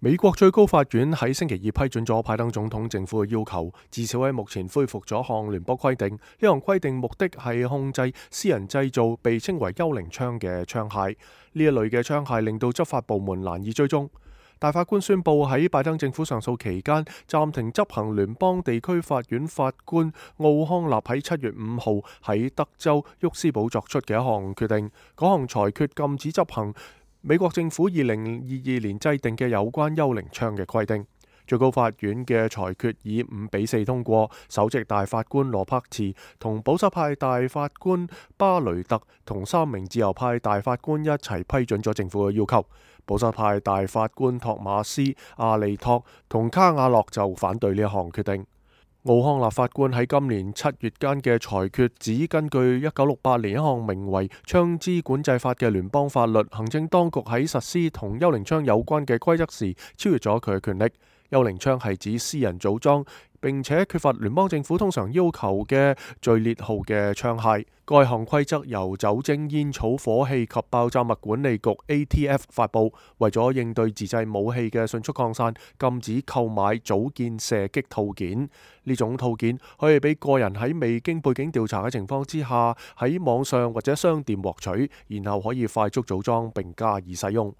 美國最高法院喺星期二批准咗拜登總統政府嘅要求，至少喺目前恢復咗項聯邦規定。呢項規定目的係控制私人製造被稱為幽靈槍嘅槍械。呢一類嘅槍械令到執法部門難以追蹤。大法官宣布喺拜登政府上訴期間暫停執行聯邦地區法院法官奧康納喺7月5號喺德州沃斯堡作出嘅一項決定。嗰項裁決禁止執行美國政府2022年制定嘅有關幽靈槍嘅規定。最高法院嘅裁決以5-4通過，首席大法官羅柏茨同保守派大法官巴雷特同3名自由派大法官一齊批准咗政府嘅要求。保守派大法官托馬斯、阿利托同卡瓦諾就反對呢一項決定。奧康納法官喺今年7月間嘅裁決指，根據1968年一項名為《槍支管制法》嘅聯邦法律，行政當局喺實施同幽靈槍有關嘅規則時超越咗佢嘅權力。幽靈槍係指私人組裝並且缺乏聯邦政府通常要求嘅序列號嘅槍械。該項規則由酒精、煙草、火器及爆炸物管理局 ATF 發布，為咗應對自製武器嘅迅速擴散，禁止購買組件射擊套件。呢種套件可以俾個人喺未經背景調查嘅情況之下喺網上或者商店獲取，然後可以快速組裝並加以使用。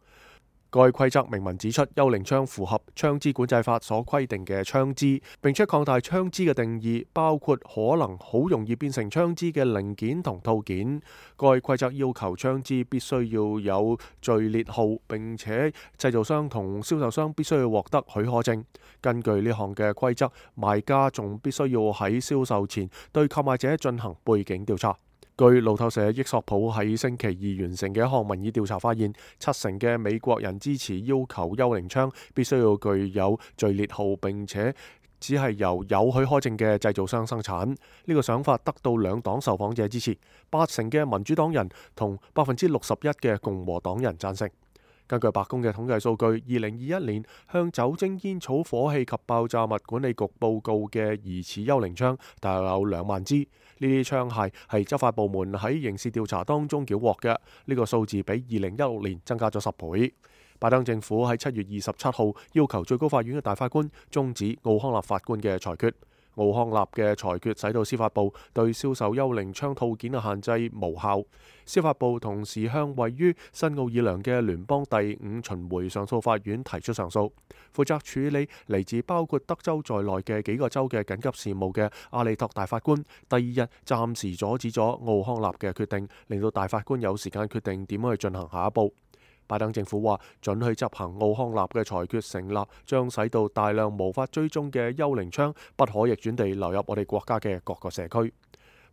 該規則明文指出，幽靈槍符合槍支管制法所規定嘅槍支，並且擴大槍支嘅定義，包括可能好容易變成槍支嘅零件同套件。該規則要求槍支必須要有序列號，並且製造商同銷售商必須要獲得許可證。根據呢項嘅規則，賣家仲必須要喺銷售前對購買者進行背景調查。據路透社益索普喺星期二完成嘅一項民意調查發現，70%嘅美國人支持要求幽靈槍必須要具有序列號，並且只係由有許可證嘅製造商生產。呢個想法得到兩黨受訪者支持，80%嘅民主黨人同61%嘅共和黨人贊成。根據白宮嘅統計數據，2021年向酒精、煙草、火器及爆炸物管理局報告嘅疑似幽靈槍大約有2萬支。呢啲槍械係執法部門喺刑事調查當中繳獲嘅，呢個數字比2016年增加咗10倍。拜登政府喺7月27號要求最高法院嘅大法官終止奧康納法官嘅裁決。奧康納嘅裁決使到司法部對銷售幽靈槍套件嘅限制無效。司法部同時向位於新奧爾良嘅聯邦第5巡迴上訴法院提出上訴。負責處理嚟自包括德州在內嘅幾個州嘅緊急事務嘅阿利托大法官，第2日暫時阻止咗奧康納嘅決定，令到大法官有時間決定點樣去進行下一步。拜登政府話准許執行奧康納嘅裁決成立，將使到大量無法追蹤嘅幽靈槍不可逆轉地流入我哋國家嘅各個社區，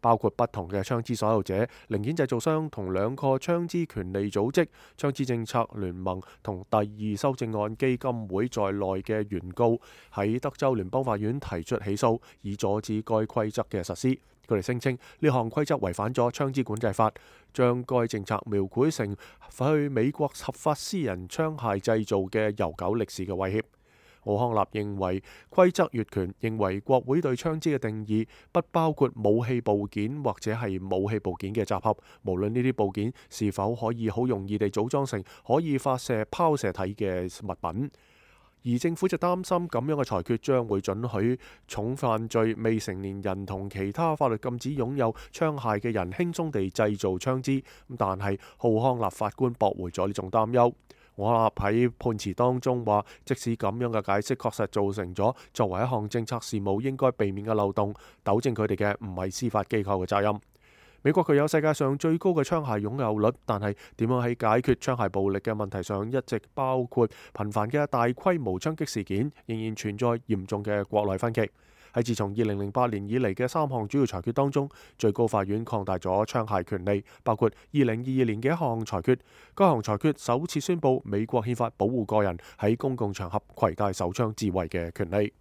包括不同嘅槍支所有者、零件製造商同2個槍支權利組織、槍支政策聯盟同第2修正案基金會在內嘅原告喺德州聯邦法院提出起訴，以阻止該規則嘅實施。佢哋聲稱呢項規則違反咗槍支管制法，將該政策描繪成去美國合法私人槍械製造嘅悠久歷史嘅威脅。奧康納認為規則越權，認為國會對槍支嘅定義不包括武器部件或者係武器部件嘅集合，無論呢啲部件是否可以好容易地組裝成可以發射拋射體嘅物品。而政府就擔心咁樣嘅裁決將會准許重犯罪未成年人同其他法律禁止擁有槍械嘅人輕鬆地製造槍支。但係奧康納法官駁回咗呢種擔憂。奧康納喺判詞當中話，即使咁樣嘅解釋確實造成咗作為一項政策事務應該避免嘅漏洞，糾正佢哋嘅唔係司法機構嘅責任。美國具有世界上最高嘅槍械擁有率，但係點樣喺解決槍械暴力嘅問題上，一直包括頻繁嘅大規模槍擊事件，仍然存在嚴重嘅國內分歧。喺自從2008年以嚟嘅3項主要裁決當中，最高法院擴大咗槍械權利，包括2022年嘅一項裁決。該項裁決首次宣布美國憲法保護個人喺公共場合攜帶手槍自衛嘅權利。